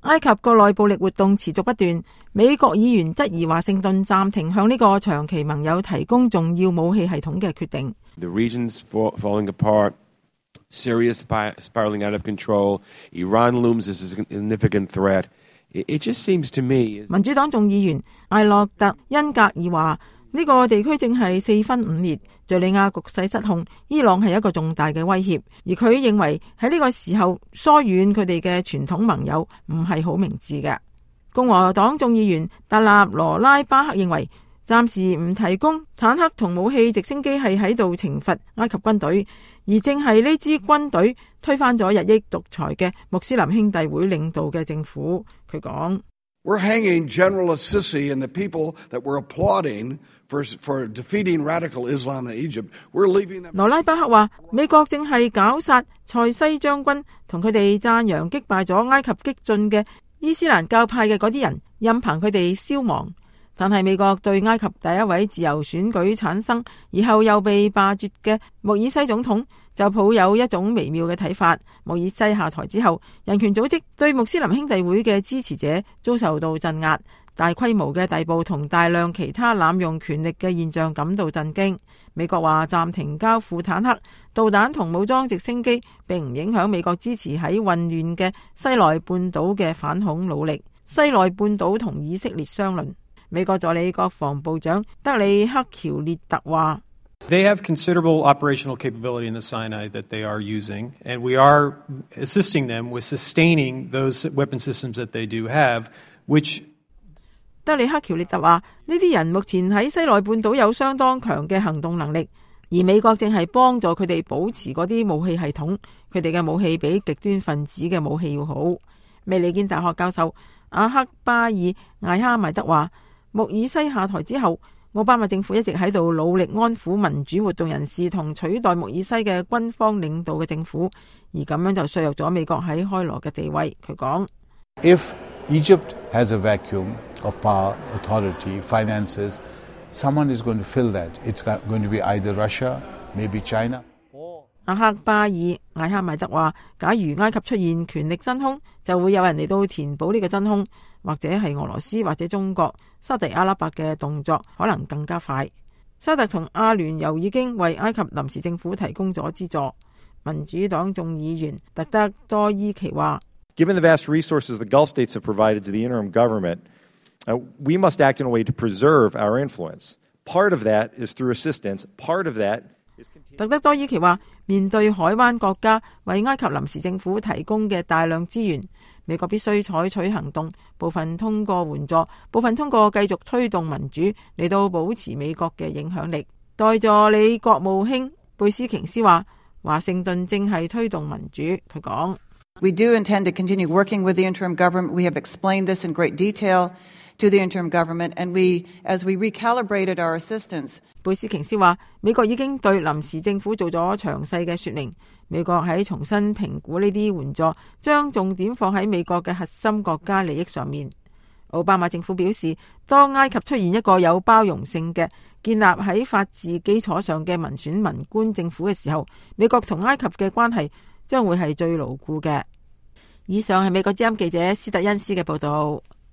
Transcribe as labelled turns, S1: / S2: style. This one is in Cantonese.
S1: 埃及國內暴力活動持續不斷，美國議員質疑華盛頓暫停向呢個長期盟友提供重要武器系統嘅決定。
S2: The region's falling apart, Syria spiraling out of control, Iran looms as a significant threat. It just seems to me.
S1: 民主黨眾議員艾洛特恩格爾話：呢個地區正係四分五裂，敘利亞局勢失控，伊朗係一個重大嘅威脅。而佢認為喺呢個時候疏遠佢哋嘅傳統盟友唔係好明智嘅。共和黨眾議員達納羅拉巴克認為，暫時唔提供坦克同武器直升機係喺度懲罰埃及軍隊，而正係呢支軍隊推翻咗日益獨裁嘅穆斯林兄弟會領導嘅政府。佢講
S3: ：We're hanging General Assisi and the people that were applauding for defeating radical Islam in Egypt. We're leaving them.
S1: 羅拉巴克話：美國正係絞殺塞西將軍同佢哋讚揚擊敗咗埃及激進嘅伊斯蘭教派嘅嗰啲人，任憑佢哋消亡。但係美國對埃及第一位自由選舉產生而後又被罷黜嘅穆爾西總統就抱有一種微妙嘅睇法。穆爾西下台之後，人權組織對穆斯林兄弟會嘅支持者遭受到鎮壓，大規模嘅逮捕同大量其他濫用權力嘅現象感到震驚。美國話暫停交付坦克、導彈同武裝直升機，並唔影響美國支持喺混亂嘅西奈半島嘅反恐努力。西奈半島同以色列相鄰。美國助理國防部長德里克喬列特話
S4: They have considerable operational capability in the Sinai that they are using, and we are assisting them with sustaining those weapon systems that they do have, which
S1: 德里克喬列特話呢啲人目前喺西奈半島有相當強嘅行動能力，而美國正係幫助佢哋保持嗰啲武器系統，佢哋嘅武器比極端分子嘅武器要好。美利堅大學教授阿克巴爾艾哈邁德話，穆爾西下台之後，奧巴馬政府一直喺度努力安撫民主活動人士同取代穆爾西嘅軍方領導嘅政府，而咁樣就削弱咗美國喺開羅嘅地位。佢講
S5: If Egypt has a vacuum of power, authority, finances, someone is going to fill that. It's going to be either Russia, maybe China.
S1: 阿克巴爾艾哈邁德話，假如埃及出現權力真空，就會有人嚟到填補呢個真空，或者係俄羅斯或者中國。沙特阿拉伯嘅動作可能更加快。沙特同阿聯酋已經為埃及臨時政府提供咗資助。民主黨眾議員特德多伊奇話
S6: Given the vast resources the Gulf states have provided to the interim government, we must act in a way to preserve our influence. Part of that is through assistance. Part of that is continuing.
S1: 特德多伊奇話，面對海灣國家為埃及臨時政府提供嘅大量資源，美國必須採取行動，部分通過援助，部分通過繼續推動民主嚟到保持美國嘅影響力。代助理國務卿貝斯瓊斯話，華盛頓正係推動民主。佢講
S7: We do intend to continue working with the interim government. We have explained this in great detail to the interim government, and as we recalibrated our assistance.
S1: 貝斯瓊斯話，美國已經對臨時政府做咗詳細嘅說明。美國喺重新評估呢啲援助，將重點放喺美國嘅核心國家利益上面。奧巴馬政府表示，當埃及出現一個有包容性嘅建立喺法治基礎上嘅民選文官政府嘅時候，美國同埃及嘅關係將會係最牢固嘅。以上係美國之音記者斯特恩斯嘅報道。